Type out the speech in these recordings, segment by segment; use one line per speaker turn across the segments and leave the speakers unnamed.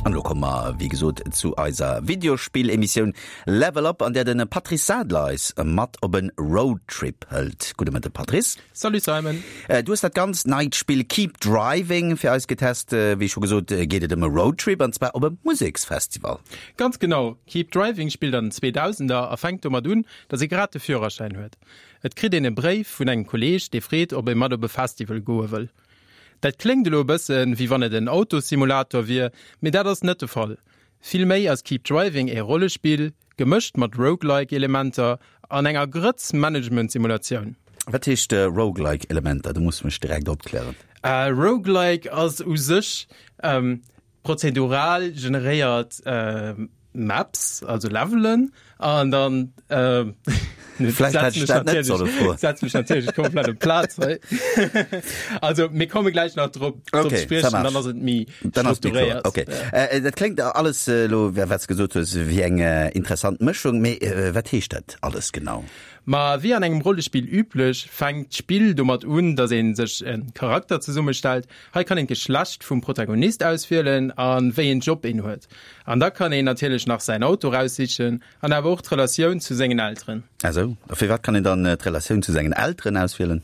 An elo komme mer, wéi gesot, zu eiser Videospill-Emissioun Level Up, an där de Patrice Sadler eis mat op e Roadtrip hëlt. Gudde Mëtte Patrice.
Salut Simon.
Du hues dat ganz neit Spill Keep Driving fir eis getest. Wéi scho gesot, geet et ëm e Roadtrip, an zwar op e Museksfestival.
Ganz genau. Keep Driving spillt an den 2000er a fänkt domat un, datt ee grad de Führerschäin huet. Et kritt een e Bréif vun engem Kolleeg, dee freet, ob ee mat op e Festival goe wëll. Dat kléngt elo e bëssen, wéi wann et en Autossimulator wier, mee dat ass net de Fall. Vill méi ass Keep Driving ee Rollespill, gemëscht mat Roguelike-Elementer an enger Grëtz Management-Simulatioun.
Wat heescht Roguelike-Elementer? Do muss mech direkt opklären.
Roguelike ass u sech Prozedural generéiert Maps, also Levelen, an dann
Vläicht hätt ech dat net solle froen.
Setz mech natierlech komplett op d'Plaz hei. Also mir komme gläich nach drop drop
Okay,
ze spriechen,
ça marche.
dann ass et méi
Dann ass méi kloer.
strukturéiert.
Okay. Äh, dat kléngt alles elo, wat s gesot hues, wéi eng interessant Mëschung, mee wat heescht dat alles genau?
Ma wéi an engem Rollespill üblech, fänkt d'Spill domat un, dass ee sech e Charakter zesummestellt. Hei kann een d'Geschlecht vum Protagonist auswielen a wéi een Job een huet. An da kann een natierlech nach säin Auto raussichen an awer och d'Relatioun zu sengen Elteren.
Ah sou, a firwat kann een dann d'Relatioun zu sengen Elteren auswielen?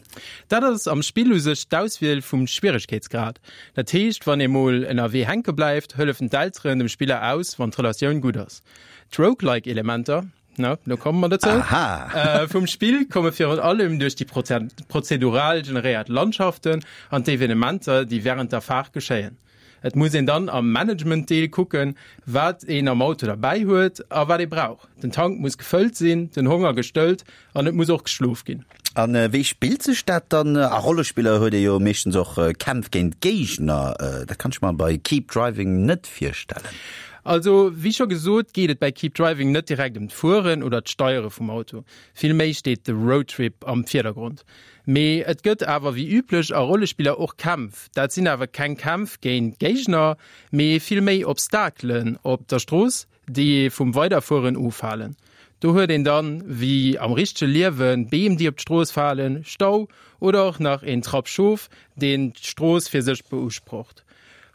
Dat ass am Spill u sech d'Auswiel vum Schwieregkeetsgrad. Dat heescht, wann ee mol ënnerwee hänke bleift, hëllefen d'Elteren dem Spiller aus, wann d'Relatioun gutt ass. D'Roguelike-Elementer, Na, lo komme mer dozou.
Aha.
Äh, vum Spill komme virun allem duerch déi prozedural generéiert Landschaften an d'Evenementer, déi wärend der Faart geschéien. Et muss een dann am Management-Deel kucken, wat een am Auto derbäi huet a wat ee brauch. Den Tank muss gefëllt sinn, den Honger gestëllt an et muss och geschlof ginn.
A wéi spillt sech dat dann? A Rollespiller huet ee jo meeschtens och Kämpf géint Géigner. Dat kann ech mer bei Keep Driving net virstellen.
Also, wéi scho gesot, geet et bäi Keep Driving net direkt ëm d'Fueren oder d'Steiere vum Auto. Vill méi steet de Roadtrip am Virdergrond. Mee et gëtt awer wéi üblech a Rollespiller och Kämpf. Dat sinn awer keng Kämpf géint Géigner, mee vill méi Obstakelen op der Strooss, déi ee vum Weiderfueren ofhalen. Do huet een dann, wéi am richtege Liewen, Beem déi op d'Strooss falen, Stau oder och nach een Trapp Schof, deen d'Strooss fir sech beusprocht.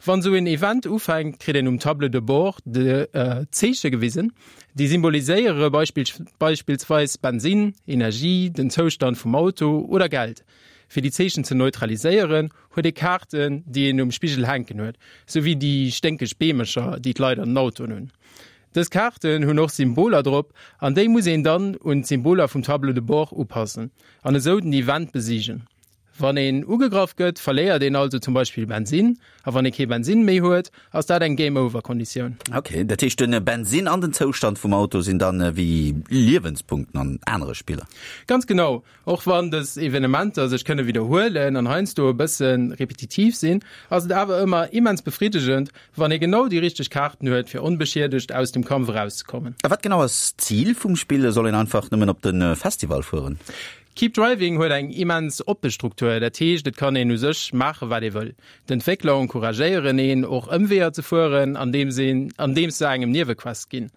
Wann sou een Event ufänkt, kritt een um Tableau de bord de Zeeche gewisen, déi symboliséiere beispillsweis Bensinn, Energie, den Zoustand vum Auto oder Geld. Fir déi Zeechen ze neutraliséieren, huet ee Kaarten, déi een um Spigel hänken huet, sou wéi déi sténkeg Beemecher, déi d'Leit an den Autoen hunn. Dës Kaarten hunn och Symboler drop an déi muss een dann un d'Symboler vum Tableau de bord upassen an esou den Event besiegen. Wann een ugegraff gëtt, verléiert een also zum Beispill Bensinn, a wann ee kee Bensinn méi huet, ass dat eng Game-Over-Konditioun.
Ok, dat heescht den Bensinn an den Zoustand vum Auto sinn dann wéi Liewenspunkten an anere Spiller?
Ganz genau. Och wann dës Evenementer sech kënne widderhuelen an heiansdo e bësse repetitiv sinn, ass et awer ëmmer immens befriddegend, wann ee genau déi richteg Kaarten huet, fir onbeschiedegt aus dem Kampf erauszekommen.
A wat genau ass d'Zil vum Spill? Soll een einfach nëmmen op de Festival fueren?
Keep Driving huet eng immens oppe Struktur, dat heescht et kann een u sech maache wat ee wëll. D'Entwéckler encouragéieren een och Ëmweeër ze fueren, andeems een andeems se engem Niewequests ginn.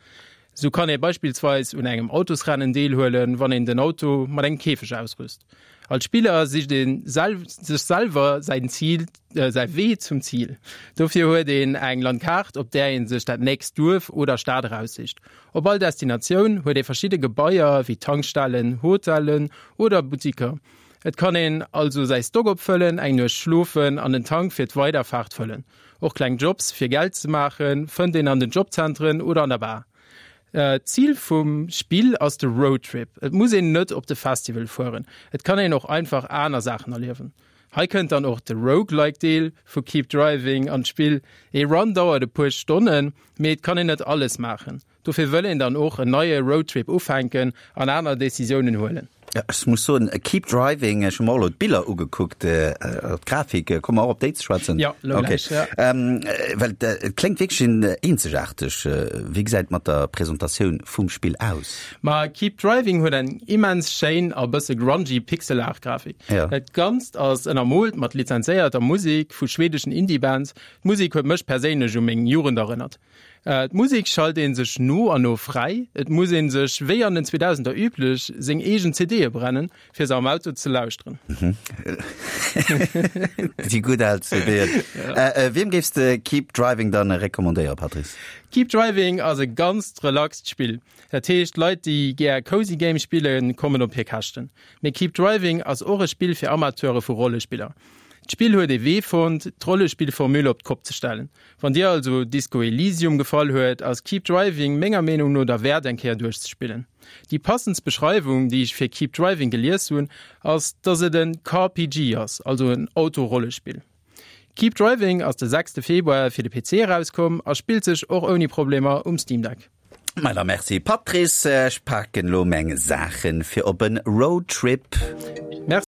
Sou kann ee beispillsweis un engem Autosrennen deelhuelen, wann een den Auto mat engem Käfeg ausrüst. Als Spiller sicht ee sech selwer säin Zil säi Wee zum Zil. Dofir huet een eng Landkaart, op där ee sech dat nächst Duerf oder Stad eraussicht. Op all Destinatioun huet ee verschidde Gebaier wéi Tankstellen, Hotellen oder Buttiker. Et kann een also säi Stock opfëllen, eng Nuecht schlofen an den Tank fir d'Weiderfaart fëllen. Och kleng Jobs fir Geld ze maache fënnt een an den Jobzentren oder an der Bar. D'Zil vum Spill ass de Roadtrip. Et muss een net op de Festival fueren, et kann een och einfach aner Saachen erliewen. Hei kënnt dann och de Roguelike Deel vu Keep Driving an d'Spill. Ee Run dauert e puer Stonnen, mee et kann een net alles maachen. Dofir wëll een dann och en neie Roadtrip ufänken an aner Decisiounen huelen.
Ech muss soen, Keep Driving, ech hu mer och elo d'Biller ugekuckt, d'Grafik, komme mer och op déi ze schwätzen?
Jo, elo gläich, ja.
Well et kléngt wierklech eenzegaarteg. Wéi gesäit et mat der Presentatioun vum Spill aus?
Ma Keep Driving huet eng immens schéin a bësse grungy Pixel-Art-Grafik.
Ja.
Dat Ganzt ass ënnermoolt mat lizenzéierter Musek vu schwedeschen Indie-Bands. D'Musek huet mech perséinlech u meng Jugend erënnert. D'Musek schalt ee sech no an no fräi. Et muss ee sech, wéi an den 2000er üblech, seng eegen CD. CDe brennen, fir se am Auto ze lauschteren.
Déi gutt al CDen. Wiem géifs de Keep Driving dann recommandéieren, Patrice?
Keep Driving ass e ganzt relaxt Spill. Dat heescht, Leit, déi gär Cozy Games spillen, kommen op hir Käschten. Mee Keep Driving ass och e Spill fir Amateure vu Rollespiller. D'Spill huet ee Wee fonnt, d'Rollespillformule op d'Kopp ze stellen. Wann dir also Disco Elysium gefall huet, ass Keep Driving menger Meenung no derwäert eng Kéier duerchzespillen. Déi passendst Beschreiwung, déi ech fir Keep Driving gelies hunn, ass, dass et en CarPG ass, also en Auto-Rollespill. Keep Driving ass de sechste Februar fir de PC erauskomm a spillt sech och ouni Problemer um Steam Deck.
Ma da merci Patrice, ech paken lo meng Saachen fir op en Roadtrip.